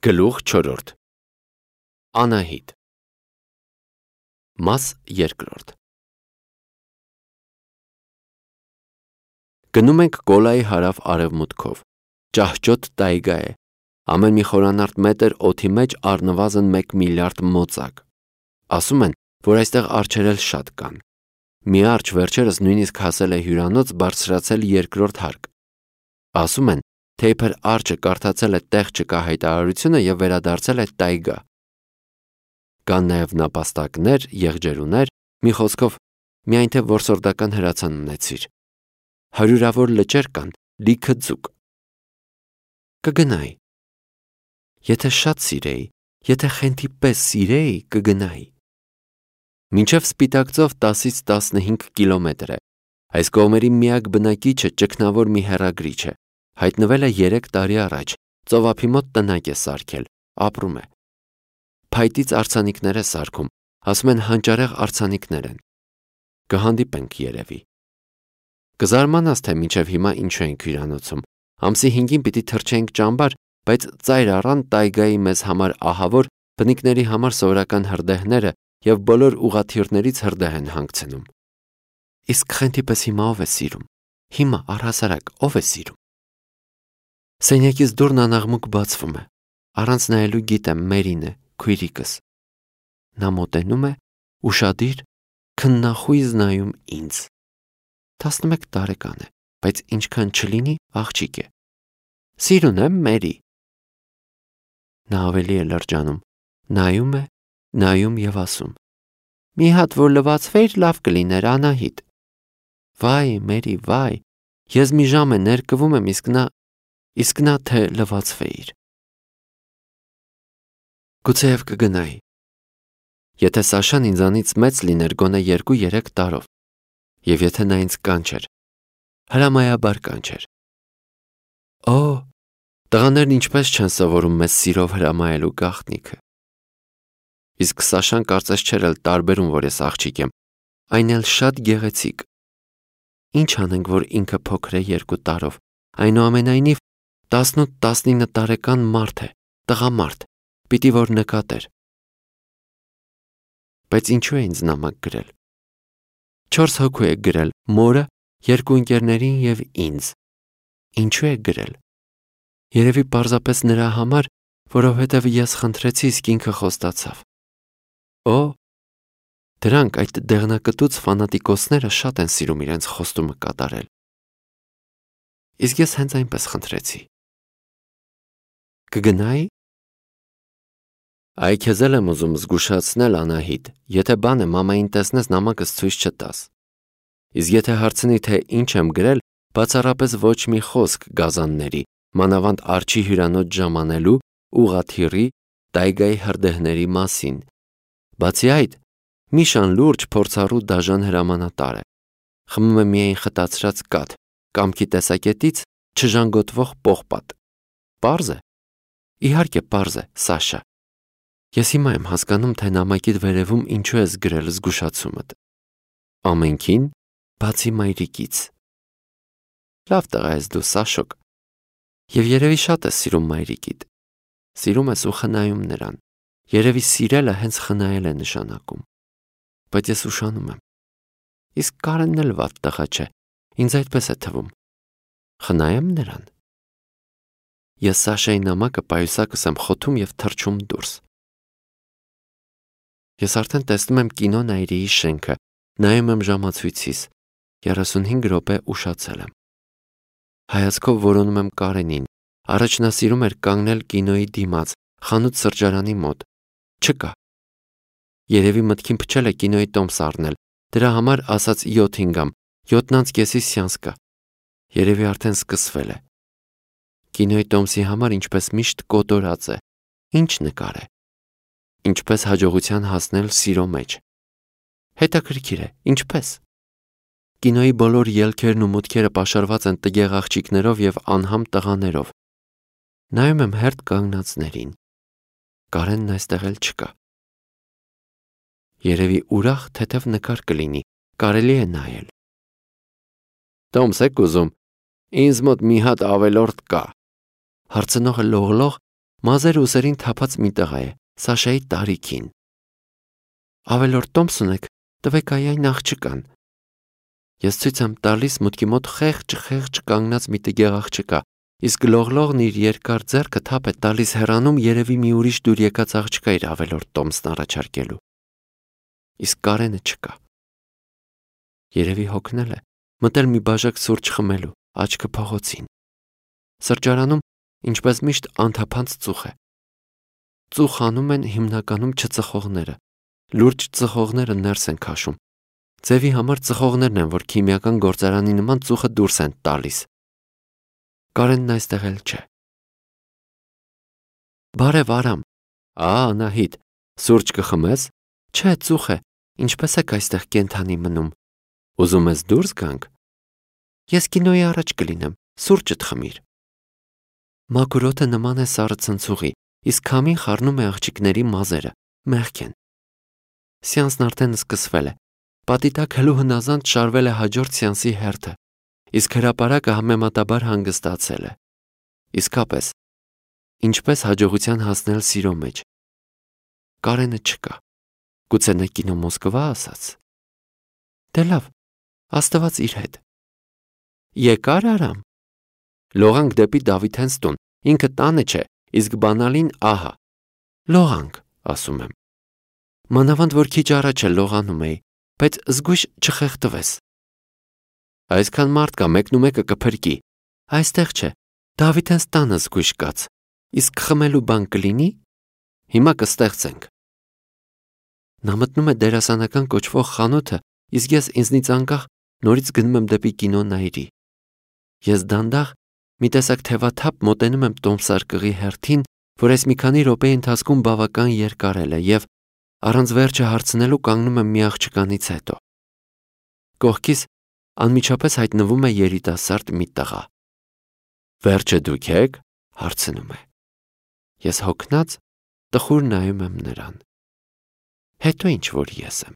Գլուխ 4 Անահիտ Մաս 2 Գնում ենք Կոլայի հարավ արևմուտքով։ Ճահճոտ տայգա է։ Ամեն մի խորանարդ մետր օդի մեջ առնվազն 1 միլիարդ մոծակ։ Ասում են, որ այստեղ արջեր էլ շատ կան։ Մի արջ վերջերս նույնիսկ հասել է հյուրանոց բարձրացել 2-րդ հարկ։ Ասում են, թե իբր արջը կարդացել է տեղ չկա հայտարարությունը եւ վերադարձել է տայգա։ Կան նաեւ նապաստակներ, եղջերուներ, մի խոսքով, միայն թե որսորդական հրացան ունեցիր։ Հարյուրավոր լճեր կան, լիքը ձուկ։ Կգնայի։ Եթե շատ սիրեի, եթե խենթի պես սիրեի, կգնայի։ Մինչև Սպիտակծով 10-ից 15 կիլոմետր է։ Այս կողմերի միակ բնակիչը ճգնավոր մի հեռագրիչ է։ Հայտնվել է 3 տարի առաջ, ծովափի մոտ տնակ է սարքել, ապրում է։ Փայտից արձանիկներ է սարքում, ասում են հանճարեղ արձանիկներ են։ Կհանդիպենք երևի։ Կզարմանաս, թե մինչև հիմա ինչու ենք հյուրանոցում։ Ամսի 5-ին պիտի թռչենք ճամբար, բայց ծայր առան տայգայի մեզ համար ահավոր, բնիկների համար սովորական հրդեհները եւ բոլոր ուղաթիռներից հրդեհ են հանգցնում։ Իսկ խենթի պես հիմա ով է սիրում։ Հիմա առհասարակ ով է սիրում։ Սենյակից դուրն անաղմուկ բացվում է։ Առանց նայելու գիտեմ Մերին է, քույրիկս։ Նա մոտենում է, ուշադիր, քննախույզ նայում ինձ։ 11 տարեկան է, բայց ինչքան չլինի, աղջիկ է։ Սիրուն եմ, Մերի։ Նա ավելի է լրջանում, նայում է, նայում եւ ասում. Մի հատ որ լվացվեիր, լավ կլիներ, Անահիտ։ Վայ, Մերի, վայ, ես մի ժամ է ներկվում եմ, իսկ նա թե լվացվեիր։ Գուցեև կգնայի։ Եթե Սաշան ինձանից մեծ լիներ գոնե 2-3 տարով, եւ եթե նա ինձ կանչեր, հրամայաբար կանչեր։ Օ, տղաներն ինչպես չեն սովորում մեզ սիրով հրամայելու գաղտնիքը։ Իսկ Սաշան կարծես չէր էլ տարբերում, որ ես աղջիկ եմ, այն էլ շատ գեղեցիկ։ Ինչ անենք, որ ինքը փոքր է 2 տարով, այնուամենայնիվ 18-19 տարեկան մարդ է, տղամարդ, պիտի որ նկատեր։ Բայց ինչու է ինձ նամակ գրել։ 4 հոգու է գրել, մորը, 2 ընկերներին եւ ինձ։ Ինչու է գրել։ Երևի պարզապես նրա համար, որովհետև ես խնդրեցի, իսկ ինքը խոստացավ։ Օ, դրանք այդ դեղնակտուց ֆանատիկոսները շատ են սիրում իրենց խոստումը կատարել։ Իսկ ես հենց այնպես խնդրեցի։ Կգնայի։ Այ քեզ եմ ուզում զգուշացնել, Անահիտ, եթե բան է մամային տեսնես նամակս ցույց չտաս։ Իսկ եթե հարցնի, թե ինչ եմ գրել, բացառապես ոչ մի խոսք գազանների, մանավանդ արջի հյուրանոց ժամանելու, ուղաթիռի, տայգայի հրդեհների մասին։ Բացի այդ, Միշան լուրջ փորձառու դաժան հրամանատար է։ Խմում է միայն խտացրած կաթ, կամքի տեսակետից չժանգոտվող պողպատ։ Պարզ է։ Իհարկե պարզ է, Սաշա։ Ես հիմա եմ հասկանում, թե նամակիդ վերևում ինչու ես գրել զգուշացումդ։ Ամենքին, բացի մայրիկից։ Լավ տղա ես դու, Սաշոկ։ Եվ երևի շատ ես սիրում մայրիկիդ։ Սիրում ես ու խնայում նրան։ Երևի սիրելը հենց խնայել է նշանակում։ Բայց ես ուշանում եմ։ Իսկ Կարենն էլ վատ տղա չէ, ինձ այդպես է թվում։ Խնայեմ նրան։ Ես Սաշայի նամակը պայուսակս եմ խոթում եւ թռչում դուրս։ Ես արդեն տեսնում եմ կինո Նայիրիի շենքը, նայում եմ ժամացույցիս, 35 րոպե ուշացել եմ։ Հայացքով որոնում եմ Կարենին, առաջ նա սիրում էր կանգնել կինոյի դիմաց, խանութ սրճարանի մոտ։ Չկա։ Երևի մտքին փչել է կինոյի տոմս առնել, դրա համար ասած 7:05, 7:30 սեանս կա։ Երևի արդեն սկսվել է։ Կինոյի տոմսի համար ինչպես միշտ կոտորած է։ Ինչ նկար է։ Ինչպես հաջողության հասնել սիրո մեջ։ Հետաքրքիր է, ինչպես։ Կինոյի բոլոր ելքերն ու մուտքերը պաշարված են տգեղ աղջիկներով եւ անհամ տղաներով։ Նայում եմ հերթ կանգնածներին։ Կարենն այստեղ էլ չկա։ Երևի ուրախ թեթև նկար կլինի, կարելի է նայել։ Տոմս եք ուզում, ինձ մոտ մի հատ ավելորդ կա։ Հարցնողը լողլող Մազերը ուսերին թափած մի տղա է, Սաշայի տարիքին։ Ավելորդ տոմս ունեք, տվեք այն աղջկան։ Ես ցույց եմ տալիս մուտքի մոտ խեղճ կանգնած մի տգեղ աղջկա, իսկ գլողլողն իր երկար ձեռքը թափ է տալիս հեռանում, երևի մի ուրիշ դուր եկած աղջկա իր ավելորդ տոմսն առաջարկելու։ Իսկ Կարենը չկա։ Երևի հոգնել է, մտել մի բաժակ սուրճ խմելու, աչքը փողոցին։ Սրճարանում, ինչպես միշտ, անթափանց ծուխ է։ Ծուխ անում են հիմնականում չծխողները։ Լուրջ ծխողները ներս են քաշում։ Ձևի համար ծխողներն են, որ քիմիական գործարանի նման ծուխը դուրս են տալիս։ Կարենն այստեղ էլ չէ։ Բարև Արամ։ Անահիտ, սուրճ կխմես։ Չէ, ծուխ է։ Ինչպես եք այստեղ կենթանի մնում։ Ուզում ես դուրս գանք։ Ես կինոյի առաջ կլինեմ, սուրճդ խմիր։ Մաքուր օդը նման է սառը ցնցուղի, իսկ քամին խառնում է աղջիկների մազերը, մեղք են։ Սեանսն արդեն սկսվել է։ Պատի տակ հլու հնազանդ շարվել է հաջորդ սեանսի հերթը, իսկ հրապարակը համեմատաբար հանգստացել է։ Իսկապես, ինչպես հաջողության հասնել սիրո մեջ։ Կարենը չկա։ Գուցե նա կինո Մոսկվա ասաց։ Դե լավ, Աստված իր հետ։ Եկար Արամ։ Լողանք դեպի Դավիթենց տուն, ինքը տանը չէ, իսկ բանալին ահա։ Լողանք, ասում եմ։ Մանավանդ որ քիչ առաջ էլ լողանում էի, բայց զգույշ չխեղդվես։ Այսքան մարդ կա, մեկնումեկը կփրկի։ Այստեղ չէ, Դավիթենց տանը զգույշ կաց։ Իսկ խմելու բան կլինի։ Հիմա կստեղծենք։ Նա մտնում է դերասանական կոչվող խանութը, իսկ ես ինձնից անկախ նորից գնում եմ դեպի կինո Նայիրի։ Ես դանդաղ մի տեսակ թևաթափ մոտենում եմ տոմսարկղի հերթին, որ այս մի քանի րոպեի ընթացքում բավական երկարել է, եւ առանց վերջը հարցնելու կանգնում եմ մի աղջկանից հետո։ Կողքիս անմիջապես հայտնվում է երիտասարդ մի տղա։ Վերջը դուք եք, հարցնում է։ Ես հոգնած տխուր նայում եմ նրան։ Հետո ինչ որ ես եմ։